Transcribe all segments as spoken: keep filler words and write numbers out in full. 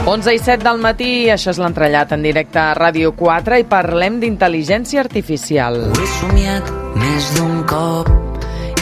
onze i set del matí, això és l'entrellat en directe a Ràdio quatre i parlem d'intel·ligència artificial. Ho he somiat més d'un cop.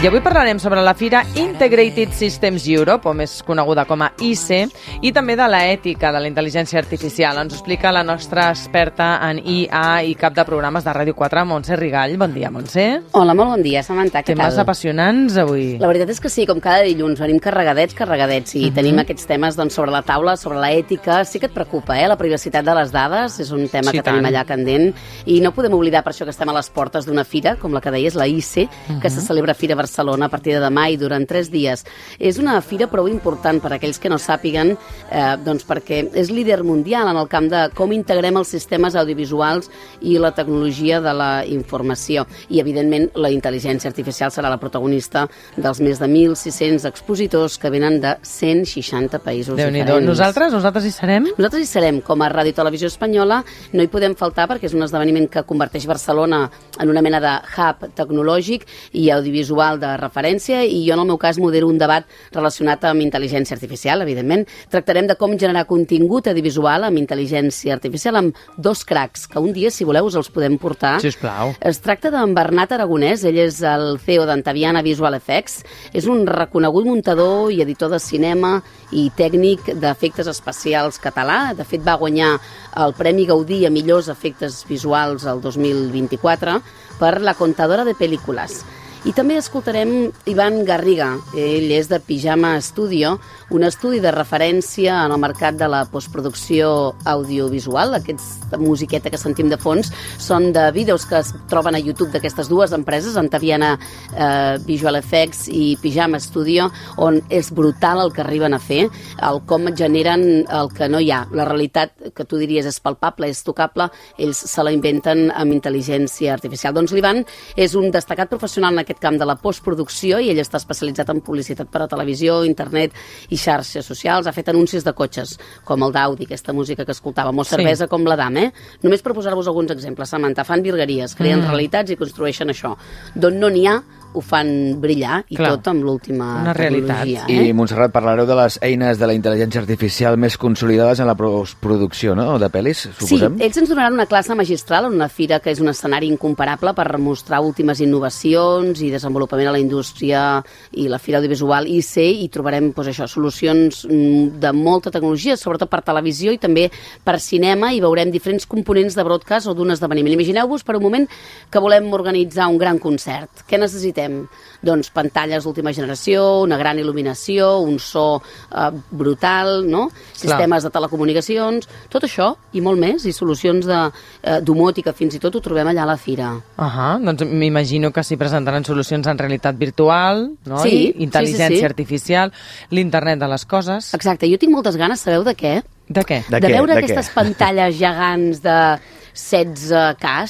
I avui parlarem sobre la fira Integrated Systems Europe, o més coneguda com a I C E, i també de l'ètica de la intel·ligència artificial. Ens ho explica la nostra experta en I A i cap de programes de Ràdio quatre, Montse Rigall. Bon dia, Montse. Hola, molt bon dia, Samantha, què tal? Temes apassionants avui. La veritat és que sí, com cada dilluns, venim carregadets, carregadets, i uh -huh. tenim aquests temes doncs, sobre la taula, sobre l'ètica. Sí que et preocupa, eh? La privacitat de les dades és un tema sí, que tenim tant. allà candent, i no podem oblidar per això que estem a les portes d'una fira, com la que deies, la I C E, uh -huh. que se celebra a Fira Barcelona a partir de demà i durant tres dies. És una fira prou important per a aquells que no sàpiguen, eh, doncs perquè és líder mundial en el camp de com integrem els sistemes audiovisuals i la tecnologia de la informació. I, evidentment, la intel·ligència artificial serà la protagonista dels més de mil sis-cents expositors que venen de cent seixanta països Déu-n'hi-do. diferents. Nosaltres? Nosaltres hi serem? Nosaltres hi serem. Com a Ràdio Televisió Espanyola no hi podem faltar perquè és un esdeveniment que converteix Barcelona en una mena de hub tecnològic i audiovisual de referència, i jo en el meu cas modero un debat relacionat amb intel·ligència artificial, evidentment. Tractarem de com generar contingut audiovisual amb intel·ligència artificial amb dos cracs, que un dia, si voleu, us els podem portar. Sisplau. Es tracta d'en Bernat Aragonès, ell és el C E O d'Antaviana Visual Effects, és un reconegut muntador i editor de cinema i tècnic d'efectes especials català. De fet, va guanyar el Premi Gaudí a millors efectes visuals el dos mil vint-i-quatre per La Contadora de Pel·lícules. I també escoltarem Ivan Garriga. Ell és de Pijama Studio, un estudi de referència en el mercat de la postproducció audiovisual. Aquesta musiqueta que sentim de fons són de vídeos que es troben a YouTube d'aquestes dues empreses, Antaviana eh, Visual Effects i Pijama Studio, on és brutal el que arriben a fer, el com generen el que no hi ha. La realitat, que tu diries és palpable, és tocable, ells se la inventen amb intel·ligència artificial. Doncs l'Ivan és un destacat professional en aquest camp de la postproducció i ell està especialitzat en publicitat per a televisió, internet i xarxes socials. Ha fet anuncis de cotxes, com el d'Audi, aquesta música que escoltàvem, o cervesa sí. com la Dam, eh? Només per posar-vos alguns exemples, Samantha, fan virgueries, creen mm. realitats i construeixen això. D'on no n'hi ha, ho fan brillar, i Clar. tot amb l'última tecnologia. Eh? I, Montserrat, parlareu de les eines de la intel·ligència artificial més consolidades en la postproducció, no?, de pel·lis, suposem? Sí, ells ens donaran una classe magistral en una fira que és un escenari incomparable per mostrar últimes innovacions i desenvolupament a la indústria i la fira audiovisual I C E, i trobarem doncs, això, solucions de molta tecnologia, sobretot per televisió i també per cinema, i veurem diferents components de broadcast o d'un esdeveniment. Imagineu-vos per un moment que volem organitzar un gran concert. Què necessitem? Doncs pantalles d'última generació, una gran il·luminació, un so eh, brutal, no? Sistemes Clar. de telecomunicacions, tot això i molt més, i solucions de, eh, domòtica fins i tot ho trobem allà a la fira. Ahà, doncs m'imagino que s'hi presentaran solucions en realitat virtual, no? Sí, I intel·ligència sí, sí, sí. artificial, l'internet de les coses. Exacte, jo tinc moltes ganes, sabeu de què? De què? De, de què? veure de aquestes què? pantalles gegants de setze K.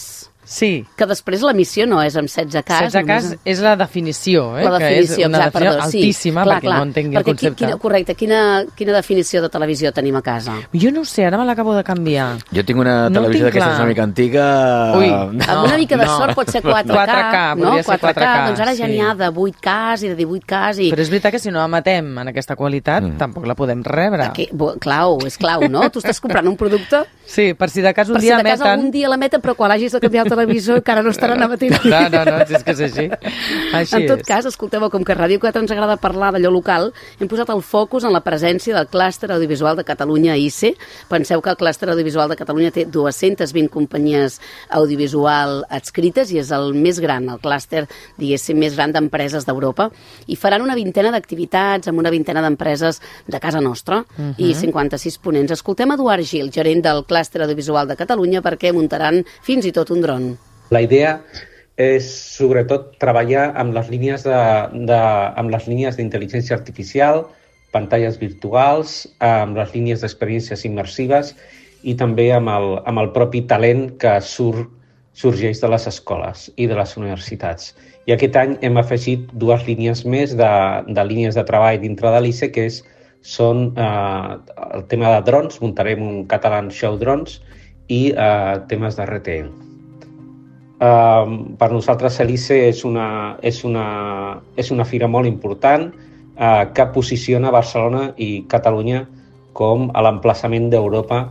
Sí. Que després l'emissió no és amb setze K. setze K és, és la definició, eh? La definició, que és una exacte, definició perdó, altíssima, sí, clar, perquè clar, no entengui perquè el concepte. Quina, correcte, quina, quina definició de televisió tenim a casa? Jo no ho sé, ara me l'acabo de canviar. Jo tinc una No televisió tinc d'aquestes clar. una mica antiga... Ui, No, amb una mica de no. sort pot ser quatre K, quatre K, no? podria ser quatre K, quatre K, doncs ara ja sí. n'hi ha de vuit K i de divuit K. I... Però és veritat que si no emetem en aquesta qualitat, mm. tampoc la podem rebre. Que, clau, és clau, no? Tu estàs comprant un producte... Sí, per si de cas un per dia si de cas emeten... algun dia l'emeten, però quan hagis de canviar el televisor encara no estaran emetent. No, no, no, si és que és així. Així en tot és. cas, escolteu, com que a Ràdio quatre ens agrada parlar d'allò local, hem posat el focus en la presència del clúster audiovisual de Catalunya I C E. Penseu que el clúster audiovisual de Catalunya té dues-centes vint companyies audiovisual adscrites i és el més gran, el clúster, diguéssim, més gran d'empreses d'Europa, i faran una vintena d'activitats amb una vintena d'empreses de casa nostra uh-huh. i cinquanta-sis ponents. Escoltem Eduard Gil, gerent del clúster audiovisual de Catalunya, perquè muntaran fins i tot un dron. La idea és, sobretot, treballar amb les línies de, de, amb les línies d'intel·ligència artificial, pantalles virtuals, amb les línies d'experiències immersives i també amb el, amb el propi talent que surt, sorgeix de les escoles i de les universitats. I aquest any hem afegit dues línies més de, de línies de treball dintre de l'I C E, que és, són eh, el tema de drons, muntarem un Catalan Show Drones, i eh, temes de R T E. Uh, per nosaltres l'I C E és una, és una, és una fira molt important uh, que posiciona Barcelona i Catalunya com a l'emplaçament d'Europa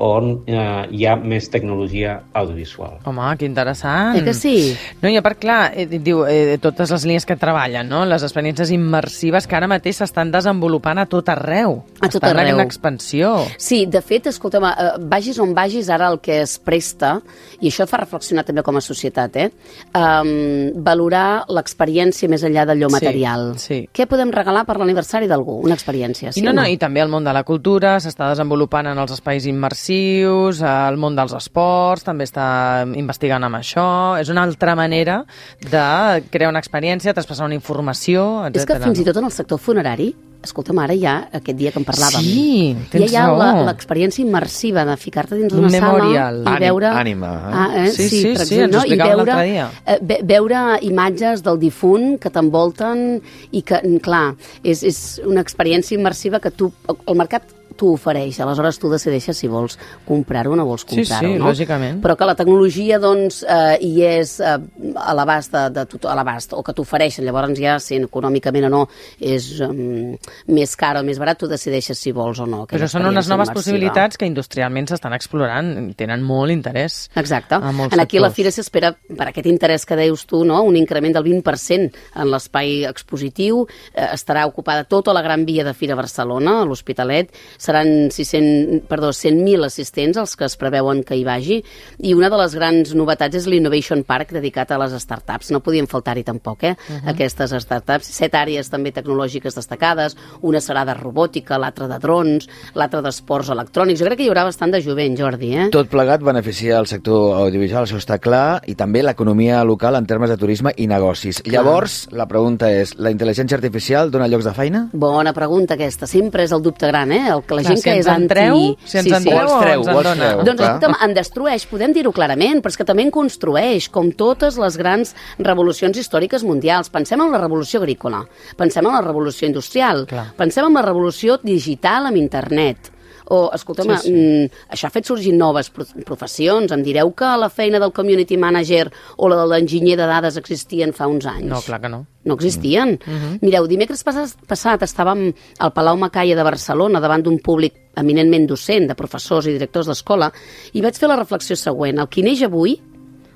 on eh, hi ha més tecnologia audiovisual. Home, que interessant. Eh que sí? No, i a part, clar, eh, diu, eh, totes les línies que treballen, no? Les experiències immersives que ara mateix s'estan desenvolupant a tot arreu. A tot estan arreu. en expansió. Sí, de fet, escolta'm, eh, vagis on vagis, ara el que es presta, i això et fa reflexionar també com a societat, eh? Um, valorar l'experiència més enllà d'allò Sí, material. sí. Què podem regalar per l'aniversari d'algú? Una experiència, sí I no, o no, i també el món de la cultura s'està desenvolupant en els espais immersius, el món dels esports també està investigant amb això. És una altra manera de crear una experiència, traspassar una informació, etcètera. És que fins i tot en el sector funerari, escolta'm, ara ja, aquest dia que en parlàvem, Sí, tens ja hi ha raó. la- l'experiència immersiva de ficar-te dins Un d'una memorial. sala i veure... Ànima, eh? Ah, eh? Sí, sí, per sí, exemple, ens ho no? I explicaven veure, l'altre dia. eh, ve veure imatges del difunt que t'envolten i que, clar, és, és una experiència immersiva que tu, el mercat t'ho ofereix, aleshores tu decideixes si vols comprar-ho o no vols Sí, comprar-ho, sí, no? lògicament. Però que la tecnologia, doncs, eh, hi és eh, a l'abast de, de tot, a l'abast, o que t'ofereixen, llavors ja, si econòmicament o no és um, més car o més barat, tu decideixes si vols o no. Però són unes noves possibilitats que industrialment s'estan explorant, tenen molt interès. Exacte. A molts En aquí a la sectors. Fira s'espera, per aquest interès que deus tu, no? Un increment del vint per cent en l'espai expositiu. Eh, estarà ocupada tota la Gran Via de Fira Barcelona, a l'Hospitalet. Seran siscents, perdó, cent mil assistents els que es preveuen que hi vagi. I una de les grans novetats és l'Innovation Park, dedicat a les startups. No podien faltar-hi tampoc, eh? Uh -huh. Aquestes startups. Set àrees també tecnològiques destacades. Una serà de robòtica, l'altra de drons, l'altra d'esports electrònics. Jo crec que hi haurà bastant de jovent, Jordi, eh? Tot plegat beneficia el sector audiovisual, això està clar, i també l'economia local en termes de turisme i negocis. Clar. Llavors, la pregunta és, la intel·ligència artificial dona llocs de feina? Bona pregunta aquesta, sempre és el dubte gran, eh? El que la Clar, gent si que ens és en anti... treu, si ens en treu O els treu, ens o en els dona. treu. Doncs clar. escolta'm, en destrueix, podem dir-ho clarament, però és que també en construeix, com totes les grans revolucions històriques mundials. Pensem en la revolució agrícola, pensem en la revolució industrial, Clar. pensem en la revolució digital amb internet. O, escolta'm, Sí, sí. mm, això ha fet sorgir noves pro professions. Em direu que la feina del community manager o la de l'enginyer de dades existien fa uns anys? No, clar que no. No existien. Mm -hmm. Mireu, dimecres passat, passat estàvem al Palau Macaya de Barcelona davant d'un públic eminentment docent, de professors i directors d'escola, i vaig fer la reflexió següent. El qui neix avui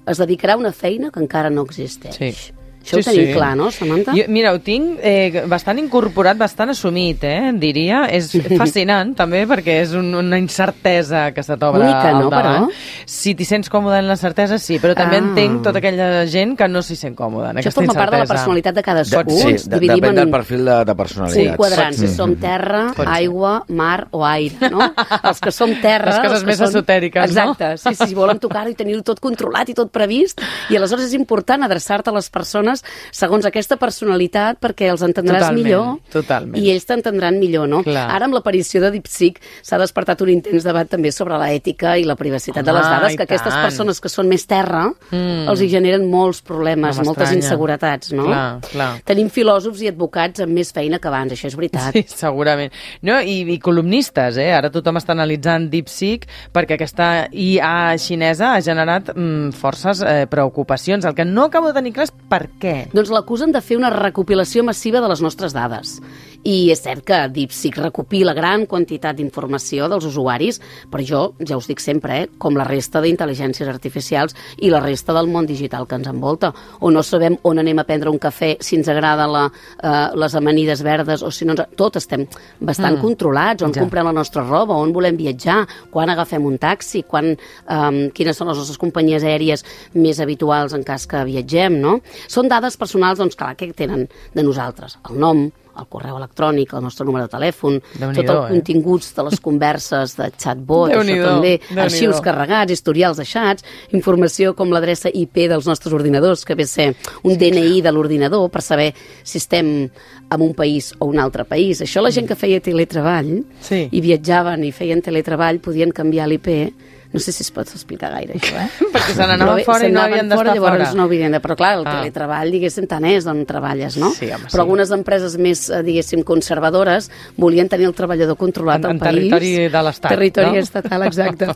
es dedicarà a una feina que encara no existeix. Sí. Això Sí, ho tenim sí. clar, no, Samantha? Jo, mira, ho tinc eh, bastant incorporat, bastant assumit, eh, diria. És fascinant, també, perquè és un, una incertesa que se t'obre Única, al no, davant. però? Si t'hi sents còmode en la certesa, sí, però també Ah. entenc tota aquella gent que no s'hi sent còmoda en Això aquesta forma incertesa. part de la personalitat de cadascú. De, sí, Ens de, dividim depèn en del perfil de, de un personalitat. quadrant, si Mm. som terra, Pot ser. aigua, mar o aire, no? Els que som terra... Les coses els que més són- esotèriques, no? Exacte, sí, sí, volem tocar-ho i tenir-ho tot controlat i tot previst, i aleshores és important adreçar-te a les persones segons aquesta personalitat perquè els entendràs Totalment, millor totalment. i ells t'entendran millor, no? Clar. Ara, amb l'aparició de DeepSeek, s'ha despertat un intens debat també sobre l'ètica i la privacitat Home, de les dades, i que aquestes tant. persones que són més terra Mm. els hi generen molts problemes, No moltes m'estranya. inseguretats, no? Clar, clar. Tenim filòsofs i advocats amb més feina que abans, això és veritat. Sí, segurament. No, i, i columnistes, eh? Ara tothom està analitzant DeepSeek perquè aquesta I A xinesa ha generat mm, forces eh, preocupacions. El que no acabo de tenir clar és per què. Doncs l'acusen de fer una recopilació massiva de les nostres dades. I és cert que DeepSeek recopila gran quantitat d'informació dels usuaris, però jo, ja us dic sempre, eh, com la resta d'intel·ligències artificials i la resta del món digital que ens envolta. O no sabem on anem a prendre un cafè, si ens agrada la, eh, les amanides verdes, o si no ens... Tot estem bastant mm. controlats, on Ja. comprem la nostra roba, on volem viatjar, quan agafem un taxi, quan, eh, quines són les nostres companyies aèries més habituals en cas que viatgem, no? Són dades personals, doncs, clar, que tenen de nosaltres? El nom, el correu electrònic, el nostre númere de telèfon, Déu-n'hi-do, tot el eh? continguts de les converses de chatbot, això Déu-n'hi-do, també, Déu-n'hi-do. arxius carregats, historials de xats, informació com l'adreça I P dels nostres ordinadors, que ve a ser un D N I de l'ordinador per saber si estem en un país o un altre país. Això la gent que feia teletreball Sí. i viatjaven i feien teletreball podien canviar l'I P No sé si es pot explicar gaire, això, eh? Perquè se n'anaven fora i no havien d'estar fora. Llavors no havien de... Però clar, el Ah. teletreball, diguéssim, tant és on treballes, no? Sí, home, sí. Però algunes empreses més, eh, diguéssim, conservadores volien tenir el treballador controlat En- al en país. territori de l'Estat, Territori no? estatal, exacte.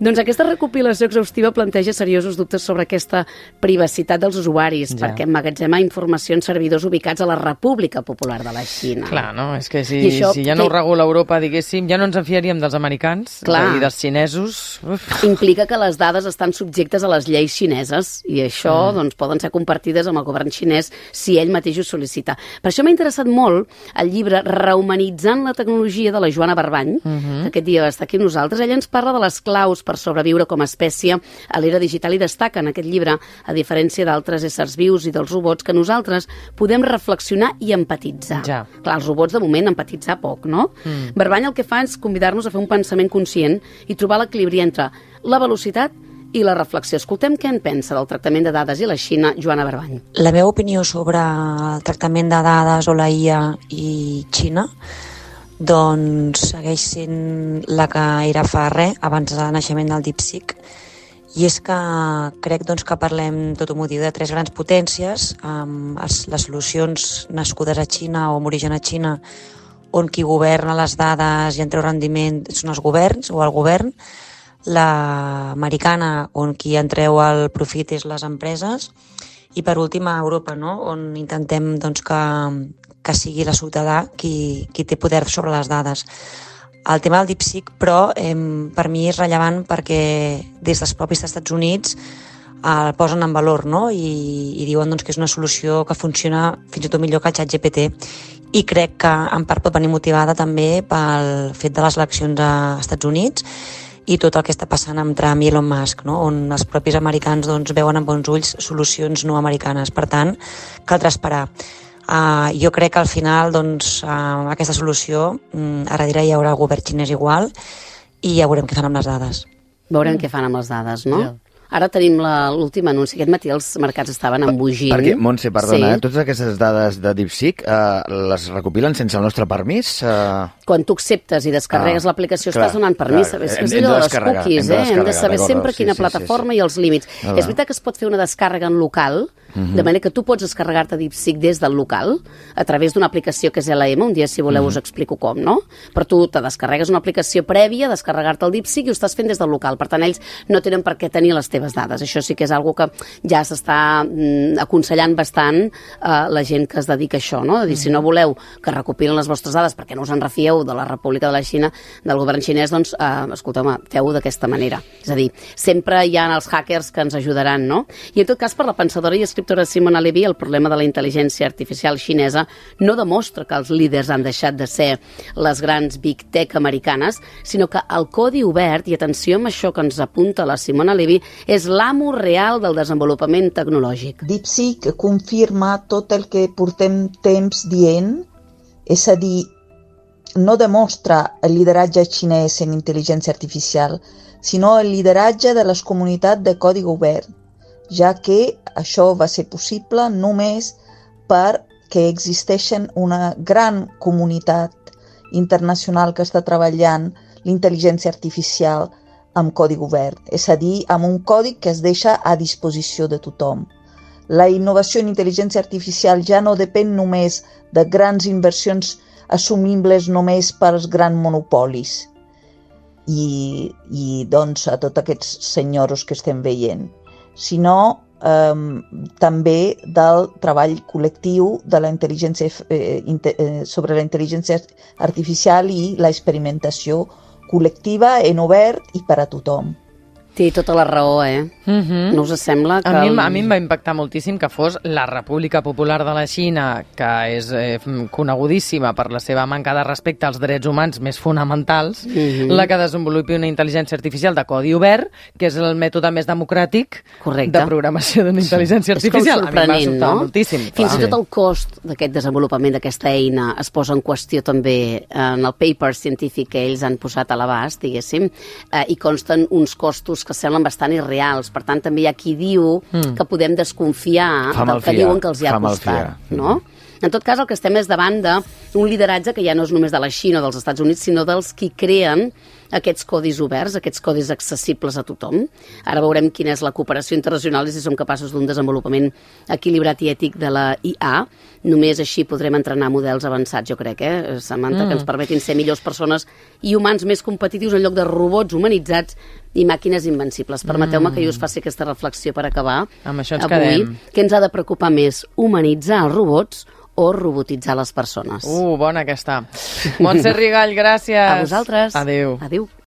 Doncs aquesta recopilació exhaustiva planteja seriosos dubtes sobre aquesta privacitat dels usuaris, Ja. perquè emmagatzema informació en servidors ubicats a la República Popular de la Xina. Clar, no? És que si, I això si ja no ho té- regula Europa, diguéssim, ja no ens en fiaríem dels americans Clar. i dels xinesos. Uf. Implica que les dades estan subjectes a les lleis xineses i això Mm. doncs, poden ser compartides amb el govern xinès si ell mateix ho sol·licita. Per això m'ha interessat molt el llibre Rehumanitzant la tecnologia de la Joana Barbany, Mhm. que aquest dia va estar aquí amb nosaltres. Ella ens parla de les claus per sobreviure com a espècie a l'era digital i destaca en aquest llibre, a diferència d'altres éssers vius i dels robots, que nosaltres podem reflexionar i empatitzar. Ja. Clar, els robots de moment empatitzar poc, no? Mm. Barbany el que fa és convidar-nos a fer un pensament conscient i trobar l'equilibri entre la velocitat i la reflexió. Escoltem què en pensa del tractament de dades i la Xina, Joana Barbany. La meva opinió sobre el tractament de dades o la I A i Xina doncs segueix sent la que era fa res, abans del naixement del DeepSeek, i és que crec doncs, que parlem, tot ho diu, de tres grans potències, amb els, les solucions nascudes a Xina o amb origen a Xina, on qui governa les dades i en treu rendiment són els governs o el govern, l'americana, on qui en treu el profit és les empreses, i per últim a Europa, no? On intentem doncs, que, que sigui la ciutadà qui, qui té poder sobre les dades. El tema del DeepSeek, però, eh, per mi és rellevant perquè des dels propis Estats Units el posen en valor, no? I, i diuen doncs, que és una solució que funciona fins i tot millor que el ChatGPT, i crec que en part pot venir motivada també pel fet de les eleccions als Estats Units i tot el que està passant amb Trump i Elon Musk, no? On els propis americans doncs, veuen amb bons ulls solucions no americanes. Per tant, caldrà esperar. Uh, jo crec que al final doncs, uh, aquesta solució, um, a darrere hi haurà el govern xinès igual i ja veurem què fan amb les dades. Veurem mm. què fan amb les dades, no? Ja. Ara tenim la- l'últim anunci. Aquest matí els mercats estaven embogint. Perquè, Montse, perdona, Sí. eh? totes aquestes dades de DeepSeek eh, les recopilen sense el nostre permís? Eh... Quan tu acceptes i descarregues Ah, l'aplicació clar, estàs donant permís. clar. És que Hem- és hem allò de de les descarregar, cookies, hem de eh? Hem de descarregar, saber d'acord, sempre sí, quina sí, sí, plataforma sí. i els límits. Ah, És va. veritat que es pot fer una descàrrega en local, de manera que tu pots descarregar-te DeepSeek des del local a través d'una aplicació que és L M. Un dia, si voleu, us explico com, no? Però tu te descarregues una aplicació prèvia, descarregar-te el DeepSeek i ho estàs fent des del local. Per tant, ells no tenen per què tenir les teves dades. Això sí que és algo que ja s'està mm, aconsellant bastant a la gent que es dedica a això, no? De dir, si no voleu que recopilen les vostres dades perquè no us en refieu de la República de la Xina, del govern xinès, doncs, eh, escolteu-me, feu-ho d'aquesta manera. És a dir, sempre hi ha els hackers que ens ajudaran, no? I en tot cas, per la pensadora i escriptora Simona Levy, el problema de la intel·ligència artificial xinesa no demostra que els líders han deixat de ser les grans big tech americanes, sinó que el codi obert, i atenció amb això que ens apunta la Simona Levy, és l'amo real del desenvolupament tecnològic. DeepSeek confirma tot el que portem temps dient, és a dir, no demostra el lideratge xinès en intel·ligència artificial, sinó el lideratge de les comunitats de codi obert, ja que això va ser possible només perquè existeixen una gran comunitat internacional que està treballant l'intel·ligència artificial amb codi obert, és a dir, amb un codi que es deixa a disposició de tothom. La innovació en intel·ligència artificial ja no depèn només de grans inversions assumibles només pels grans monopolis i, i doncs a tots aquests senyors que estem veient, sinó eh, també del treball col·lectiu de la intel·ligència, eh, eh, sobre la intel·ligència artificial i la experimentació col·lectiva en obert i per a tothom. Té tota la raó, eh? Mhm. No us sembla que... A mi, el- a mi em va impactar moltíssim que fos la República Popular de la Xina, que és eh, conegudíssima per la seva manca de respecte als drets humans més fonamentals, Mhm. la que desenvolupi una intel·ligència artificial de codi obert, que és el mètode més democràtic Correcte. de programació d'una intel·ligència És com artificial. A mi em va sorprenent, sobtar no? moltíssim. Fins clar. i tot el cost d'aquest desenvolupament d'aquesta eina es posa en qüestió també en el paper científic que ells han posat a l'abast, diguéssim, eh, i consten uns costos que semblen bastant irreals. Per tant, també hi ha qui diu mm. que podem desconfiar Fa del que malfiar, diuen que els hi ha fa costat. malfiar. No? En tot cas, el que estem és davant d'un lideratge que ja no és només de la Xina o dels Estats Units, sinó dels qui creen aquests codis oberts, aquests codis accessibles a tothom. Ara veurem quina és la cooperació internacional i si som capaços d'un desenvolupament equilibrat i ètic de la I A. Només així podrem entrenar models avançats, jo crec, eh, Samantha, mm. que ens permetin ser millors persones i humans més competitius en lloc de robots humanitzats i màquines invencibles. Permeteu-me mm. que jo us faci aquesta reflexió per acabar. Amb això ens avui. quedem. Què ens ha de preocupar més, humanitzar els robots o robotitzar les persones? Uh, bona aquesta. Montse Rigall, gràcies. A vosaltres. Adéu. Adéu.